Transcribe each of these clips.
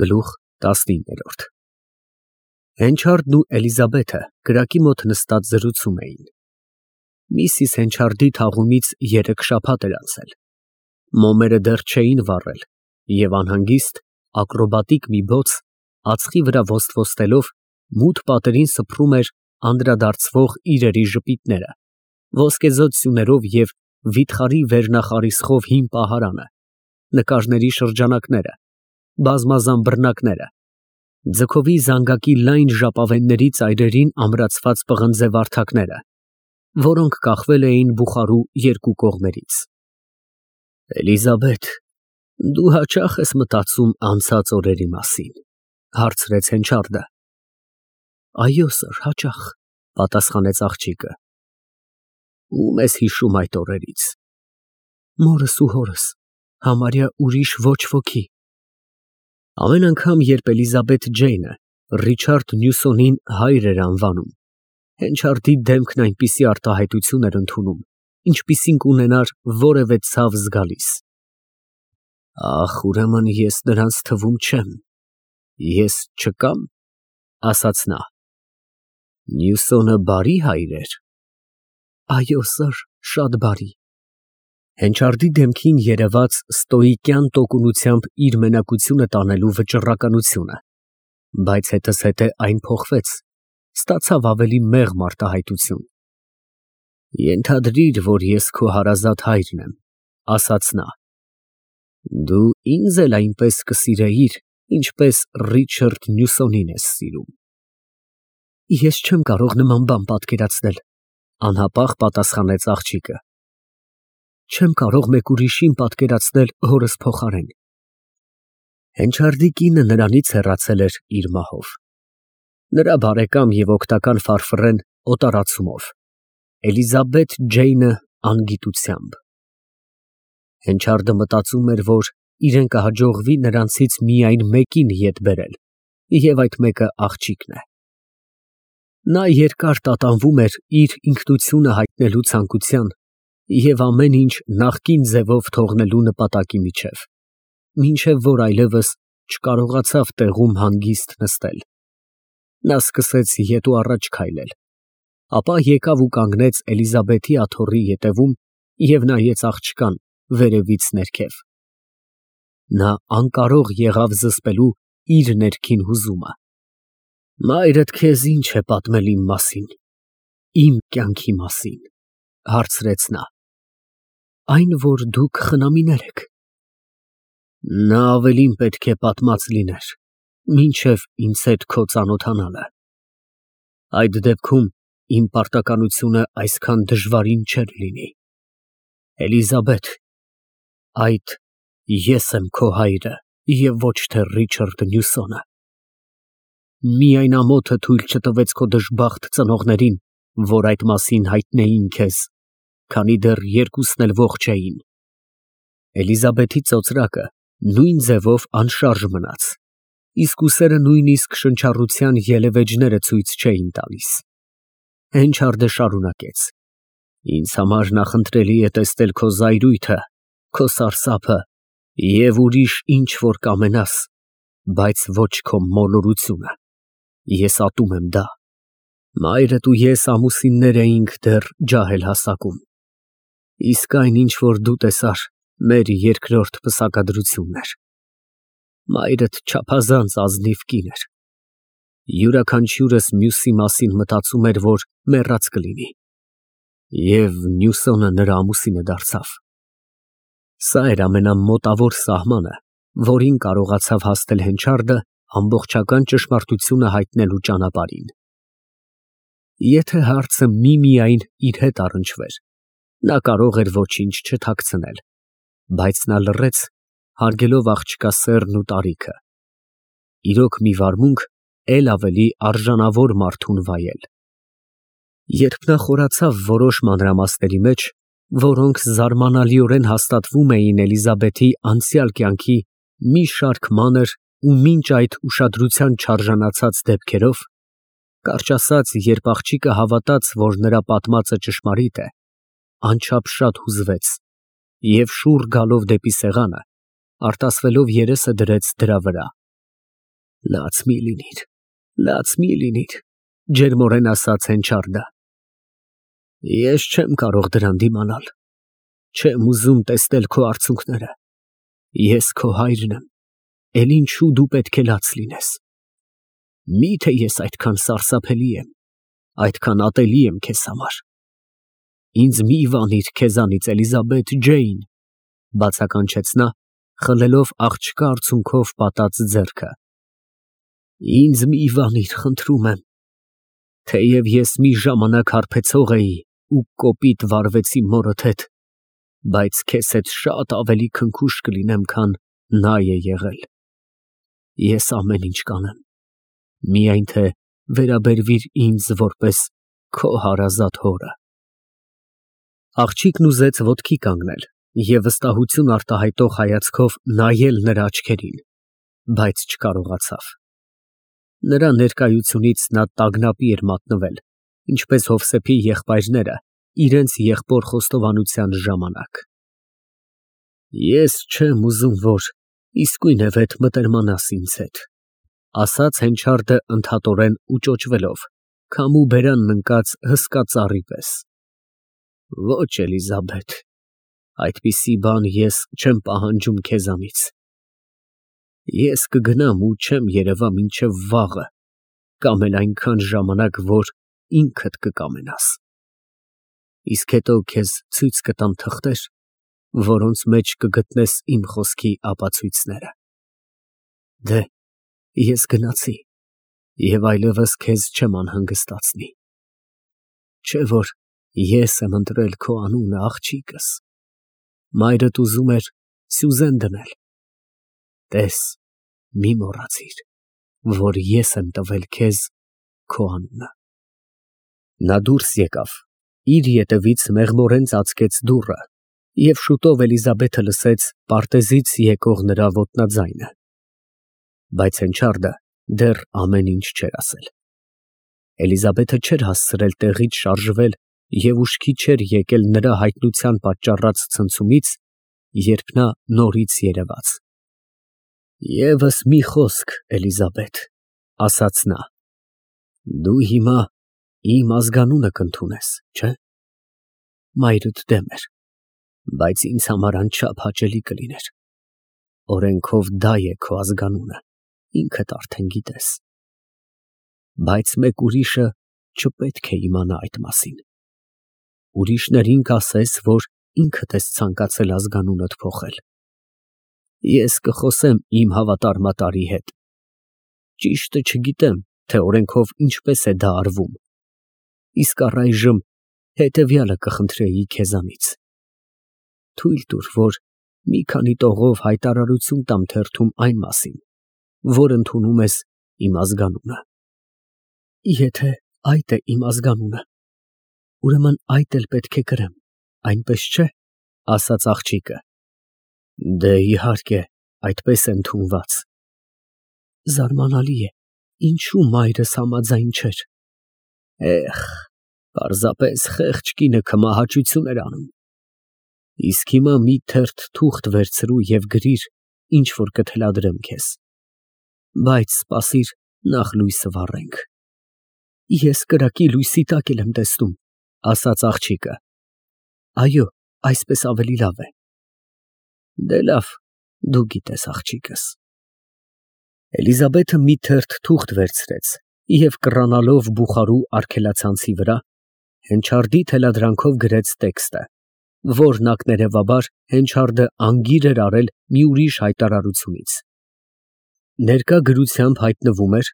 Գլուխ 19 Հենչարդն ու Էլիզաբեթը կրակի մոտ նստած զրուցում էին։ Միսիս Հենչարդի թաղումից 3 շաբաթ էր անցել։ Մոմերը դեռ չէին վառել, և անհանգիստ, ակրոբատիկ մի բոց ածխի վրա ոստվոստելով մութ պատերին սփռում էր անդրադարձվող իրերի ժպիտները, ոսկեզօծ սյուներով և վիթխարի վերնախարիսխով հին պահարանը, նկարների շրջանակները, բազմազան բռնակները, ձգովի զանգակի լայն ժապավենների ծայրերին ամրացված պղնձե վարդակները, որոնք կախվել էին բուխարու երկու կողմերից։ Էլիզաբեթ, դու հաճա՞խ ես մտածում անցած օրերի մասին, հարցրեց Հենչարդը։ Այո, սըր, հաճախ, պատասխանեց աղջիկը։ Ո՞ւմ ես հիշում այդ օրերից։ Մորս ու հորս, համարյա ուրիշ ոչ ոքի։ Ամեն անգամ, երբ Էլիզաբեթ Ջեյնը Ռիչարդ Նյուսոնին հայր էր անվանում, Հենչարդի դեմքն այնպիսի արտահայտություն էր ընդունում, ինչպիսին կունենար որևէ ցավ զգալիս։ Ախ, ուրեմն ես նրանց թվում չեմ, ես չկա՞մ, ասաց նա։ Նյուսոնը բարի հայր էր։ Այո, սըր, շատ բարի։ Հենչարդի դեմքին երևաց ստոիկյան տոկունությամբ իր մենակությունը տանելու վճռականությունը, բայց հետզհետե այն փոխվեց, ստացավ ավելի մեղմ արտահայտություն։ Ենթադրիր, որ ես քո հարազատ հայրն եմ, ասաց նա։ Դու ինձ էլ այնպես կսիրեիր, ինչպես Ռիչարդ Նյուսոնին ես սիրում։ Ես չեմ կարող նման բան պատկերացնել, անհապաղ պատասխանեց աղջիկը։ Չեմ կարող մեկ ուրիշին պատկերացնել հորս փոխարեն։ Հենչարդի կինը նրանից հեռացել էր իր մահով։ Նրա բարեկամ և օգտական ֆարֆռեն օտարացումով, Էլիզաբեթ Ջեյնը անգիտությամբ։ Հենչարդը մտածում էր, որ իրեն կհաջողվի նրանցից միայն մեկին ետ բերել, և այդ մեկը աղջիկն է։ Նա երկար տատանվում էր իր ինքնությունը հայտնելու ցանկության և ամեն ինչ նախկին ձևով թողնելու նպատակի միջև, մինչև որ այլևս չկարողացավ տեղում հանգիստ նստել։ Նա սկսեց ետ ու առաջ քայլել, ապա եկավ ու կանգնեց Էլիզաբեթի աթոռի ետևում և նայեց աղջկան վերևից ներքև։ Նա անկարող եղավ զսպելու իր ներքին հուզումը։ Մայրդ քեզ ինչ է պատմել իմ մասին, իմ կյանքի մասին, հարցրեց նա։ Այն, որ դուք խնամիներ եք։ Նա ավելին պետք է պատմած լիներ, մինչև ինձ հետ քո ծանոթանալը։ Այդ դեպքում իմ պարտականությունը այսքան դժվարին չէր լինի։ Էլիզաբեթ, այդ ես եմ քո հայրը և ոչ թե Ռիչարդ Նյուսոնը։ Միայն ամոթը թույլ չտվեց քո դժբախտ ծնողներին, որ այդ մասին հայտնեին քեզ, քանի դեռ երկուսն էլ ողջ էին։ Էլիզաբեթի ծոծրակը նույն ձևով անշարժ մնաց, իսկ ուսերը նույնիսկ շնչառության ելևէջները ցույց չէին տալիս։ Հենչարդը շարունակեց. Ինձ համար նախընտրելի է տեսնել քո զայրույթը, քո սարսափը և ուրիշ ինչ որ կամենաս, բայց ոչ քո մոլորությունը։ Ես ատում եմ դա։ Մայրդ ու ես ամուսիններ էինք դեռ ջահել հասակում։ Իսկ այն, ինչ որ դու տեսար, մեր երկրորդ պսակադրությունն էր։ Մայրդ չափազանց ազնիվ կին էր։ Յուրաքանչյուրս մյուսի մասին մտածում էր, որ մեռած կլինի։ Եվ Նյուսոնը նրա ամուսինը դարձավ։ Սա էր ամենամոտավոր սահմանը, որին կարողացավ հասնել Հենչարդը ամբողջական ճշմարտությունը հայտնելու ճանապարհին։ Եթե հարցը միմիայն իր հետ առնչվեր, նա կարող էր ոչինչ չթաքցնել, բայց նա լռեց, հարգելով աղջկա սեռն ու տարիքը։ Իրոք մի վարմունք էլ ավելի արժանավոր մարդուն վայել։ Երբ նա խորացավ որոշ մանրամասների մեջ, որոնք զարմանալիորեն հաստատվում էին Էլիզաբեթի անցյալ կյանքի մի շարք մանր ու մինչ այդ ուշադրության չարժանացած դեպքերով, կարճ ասած, երբ աղջիկը հավատաց, որ նրա պատմածը ճշմարիտ է, անչափ հուզվեց և շուռ գալով դեպի սեղանը, արտասվելով երեսը դրեց դրա վրա։ Լաց մի լինիր, ջերմորեն ասաց Հենչարդը։ Ես չեմ կարող դրան դիմանալ, չեմ ուզում տեսնել քո արցունքները, ես քո հայրն եմ, էլ ինչու դու պետք է լաց լինես։ Միթե ես այդքան սարսափելի եմ, այդքան ատելի եմ քեզ համար։ Ինձ մի վանիր քեզանից, Էլիզաբեթ Ջեյն, բացականչեց նա, խլելով աղջկա արցունքով պատած ձեռքը։ Ինձ մի վանիր, խնդրում եմ, թեև ես մի ժամանակ հարբեցող էի ու կոպիտ վարվեցի մորդ հետ, բայց քեզ հետ շատ ավելի քնքուշ կլինեմ, քան նա է եղել։ Ես ամեն ինչ կանեմ, միայն թե վերաբերվիր ինձ որպես քո հարազատ հորը։ Աղջիկն ուզեց ոտքի կանգնել և վստահություն արտահայտող հայացքով նայել նրա աչքերին, բայց չկարողացավ։ Նրա ներկայությունից նա տագնապի էր մատնվել, ինչպես Հովսեփի եղբայրները իրենց եղբոր խոստովանության ժամանակ։ Ես չեմ ուզում, որ իսկույնևեթ մտերմանաս ինձ հետ, ասաց Հենչարդը ընդհատորեն ու ճոճվելով, քամու բերանն ընկած հսկա ծառի պես։ Ոչ, Էլիզաբեթ, այդպիսի բան ես չեմ պահանջում քեզանից։ Ես կգնամ ու չեմ երևա մինչև վաղը, կամ էլ այնքան ժամանակ, որ ինքդ կկամենաս։ Իսկ հետո քեզ ցույց կտամ թղթեր, որոնց մեջ կգտնես իմ խոսքի ապացույցները։ Դե, ես գնացի և այլևս քեզ չեմ անհանգստացնի։ Չէ՞ որ ես եմ ընտրել քո անունը, աղջիկս։ Մայրդ ուզում էր Սյուզեն դնել։ Տես, մի մոռացիր, որ ես եմ տվել քեզ քո անունը։ Նա դուրս եկավ, իր ետևից մեղմորեն ծածկեց դուռը, և շուտով Էլիզաբեթը լսեց պարտեզից եկող նրա ոտնաձայնը։ Բայց Հենչարդը դեռ ամեն ինչ չէր ասել։ Էլիզաբեթը չէր հասցրել տեղից շարժվել և ուշքի չէր եկել նրա հայտնության պատճառած ցնցումից, երբ նա նորից երևաց։ Եվս մի խոսք, Էլիզաբեթ, ասաց նա, դու հիմա իմ ազգանունը կընդունես, չէ՞։ Մայրդ դեմ էր, բայց ինձ համար անչափ հաճելի կլիներ։ Օրենքով դա է քո ազգանունը, ինքդ արդեն գիտես։ Բայց մեկ ուրիշը չպետք է իմանա այդ մասին։ Ուրիշներին կասես, որ ինքդ ես ցանկացել ազգանունդ փոխել։ Ես կխոսեմ իմ հավատարմատարի հետ։ Ճիշտը չգիտեմ, թե օրենքով ինչպես է դա արվում։ Իսկ առայժմ հետևյալը կխնդրեի քեզանից. թույլ տուր, որ մի քանի տողով հայտարարություն տամ թերթում այն մասին, որ ընդունում ես իմ ազգանունը։ Եթե այդ է իմ ազգանունը, ուրեմն այդ էլ պետք է կրեմ, այնպես չէ՞, ասաց աղջիկը։ Դե իհարկե, այդպես է ընդունված։ Զարմանալի է, ինչու մայրս համաձայն չէր։ Պարզապես խեղճ կինը քմահաճություն էր անում։ Իսկ հիմա մի թերթ թուղթ վերցրու և գրիր, ինչ որ կթելադրեմ քեզ։ Բայց սպասիր, նախ լույսը վառենք։ Ես կրակի լույսի տակ եմ տեսնում, ասաց աղջիկը։ Այո, այսպես ավելի լավ է։ Դե լավ, դու գիտես, աղջիկս։ Էլիզաբեթը մի թերթ թուղթ վերցրեց և կռանալով բուխարու արգելացանցի վրա, Հենչարդի թելադրանքով գրեց տեքստը, որն ակներևաբար Հենչարդը անգիր էր արել մի ուրիշ հայտարարությունից։ Ներկա գրությամբ հայտնվում էր,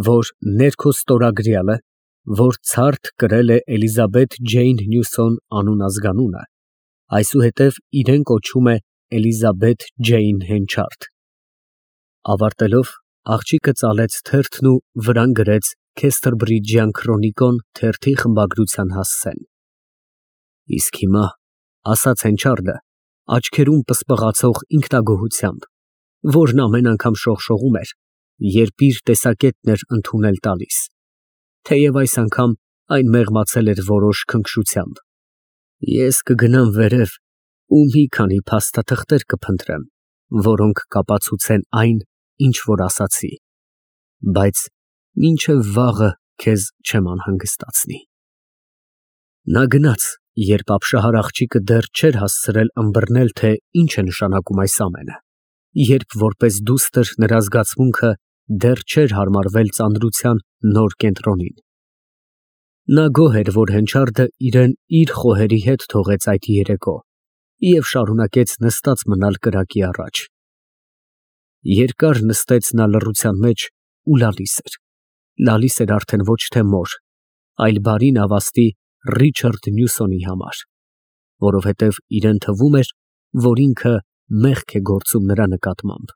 որ ներքո ստորագրյալը, որ ցարտ կրել է Էլիզաբեթ Ջեյն Նյուսոն անուն ազգանունը, այսուհետև իրեն կոչում է Էլիզաբեթ Ջեյն Հենչարդ։ Ավարտելով, աղջիկը ծալեց թերթն ու վրան գրեց Քեսթրբրիջյան Քրոնիկոն թերթի խմբագրության հասցեն։ Իսկ հիմա, ասաց Հենչարդը, աչքերում պսպղացող ինքնագոհությամբ, որն ամեն անգամ շողշողում էր, երբ իր տեսակետն էր ընդունել տալիս, թեև այս անգամ այն մեղմացել էր որոշ քնքշությամբ։ Ես կգնամ վերև ու մի քանի փաստաթղթեր կփնտրեմ, որոնք կապացուցեն այն, ինչ որ ասացի։ բայց մինչև վաղը քեզ չեմ անհանգստացնի։ Նա գնաց, երբ ապշահար աղջիկը դեռ չէր հասցրել ըմբռնել, թե ինչ է նշանակում այս ամենը, երբ որպես դուստր նրա զգացմունքը դեռ չէր հարմարվել ծանրության նոր կենտրոնին։ Նա գոհ էր, որ հենչարդը իրեն իր խոհերի հետ թողեց այդ երեկո և շարունակեց նստած մնալ կրակի առաջ։ Երկար նստեց նա լռության մեջ ու լալիս էր արդեն ոչ թե մոր, այլ բարի նավաստի Ռիչարդ Նյուսոնի համար, որովհետև իրան թվում էր, որ ինքը մեղք է գործում նրա նկատմամբ։